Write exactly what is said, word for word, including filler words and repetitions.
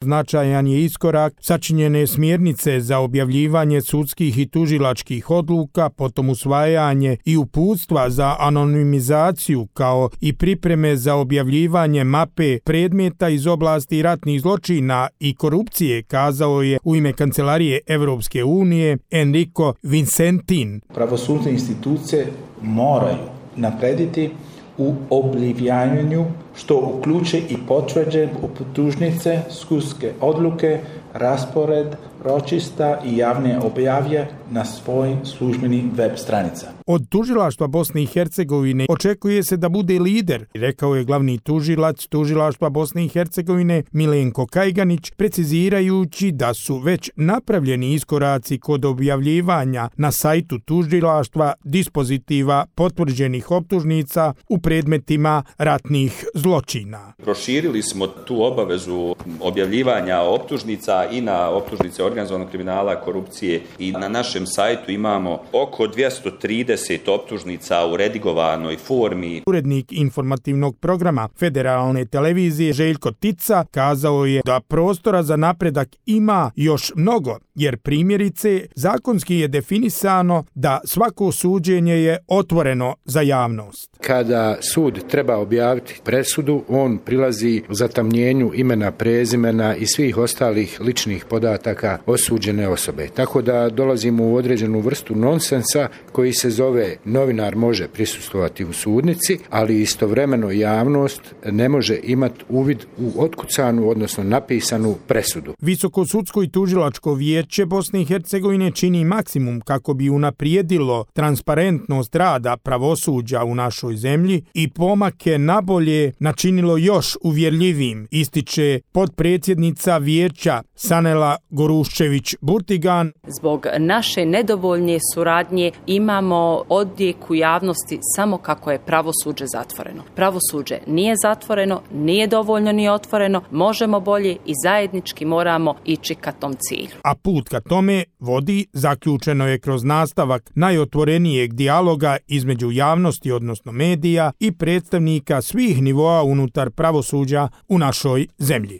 Značajan je iskorak sačinjene smjernice za objavljivanje sudskih i tužilačkih odluka, potom usvajanje i uputstva za anonimizaciju kao i pripreme za objavljivanje mape predmeta iz oblasti ratnih zločina i korupcije, kazao je u ime Kancelarije Evropske unije Enrico Vincentin. Pravosudne institucije moraju naprediti u objavljivanju, što uključuje i potvrđen optužnice, sudske odluke, raspored ročišta i javne objave na svojim službenim web stranicama. Od tužilaštva Bosne i Hercegovine očekuje se da bude lider, rekao je glavni tužilac tužilaštva Bosne i Hercegovine Milenko Kajganić, precizirajući da su već napravljeni iskoraci kod objavljivanja na sajtu tužilaštva dispozitiva potvrđenih optužnica u predmetima ratnih zločina. Proširili smo tu obavezu objavljivanja optužnica i na optužnice organizovanog kriminala, korupcije, i na našem sajtu imamo oko dvjesto trideset optužnica u redigovanoj formi. Urednik informativnog programa Federalne televizije Željko Tica kazao je da prostora za napredak ima još mnogo, jer primjerice zakonski je definisano da svako suđenje je otvoreno za javnost. Kada sud treba objaviti presudu, on prilazi zatamnjenju imena, prezimena i svih ostalih ličnih podataka osuđene osobe. Tako da dolazimo u određenu vrstu nonsensa koji se zove novinar može prisustvovati u sudnici, ali istovremeno javnost ne može imati uvid u otkucanu, odnosno napisanu presudu. Visoko sudsko i tužilačko vijeće Bosne i Hercegovine čini maksimum kako bi unaprijedilo transparentnost rada pravosuđa u našoj zemlji i pomake nabolje načinilo još uvjerljivim, ističe potpredsjednica vijeća Sanela Goruščević-Burtigan. Zbog naše nedovoljne suradnje imamo odjek u javnosti samo kako je pravosuđe zatvoreno. Pravosuđe nije zatvoreno, nije dovoljno ni otvoreno, možemo bolje i zajednički moramo ići ka tom cilju. A put ka tome vodi, zaključeno je kroz nastavak najotvorenijeg dijaloga između javnosti, odnosno medija, i predstavnika svih nivoa unutar pravosuđa u našoj zemlji.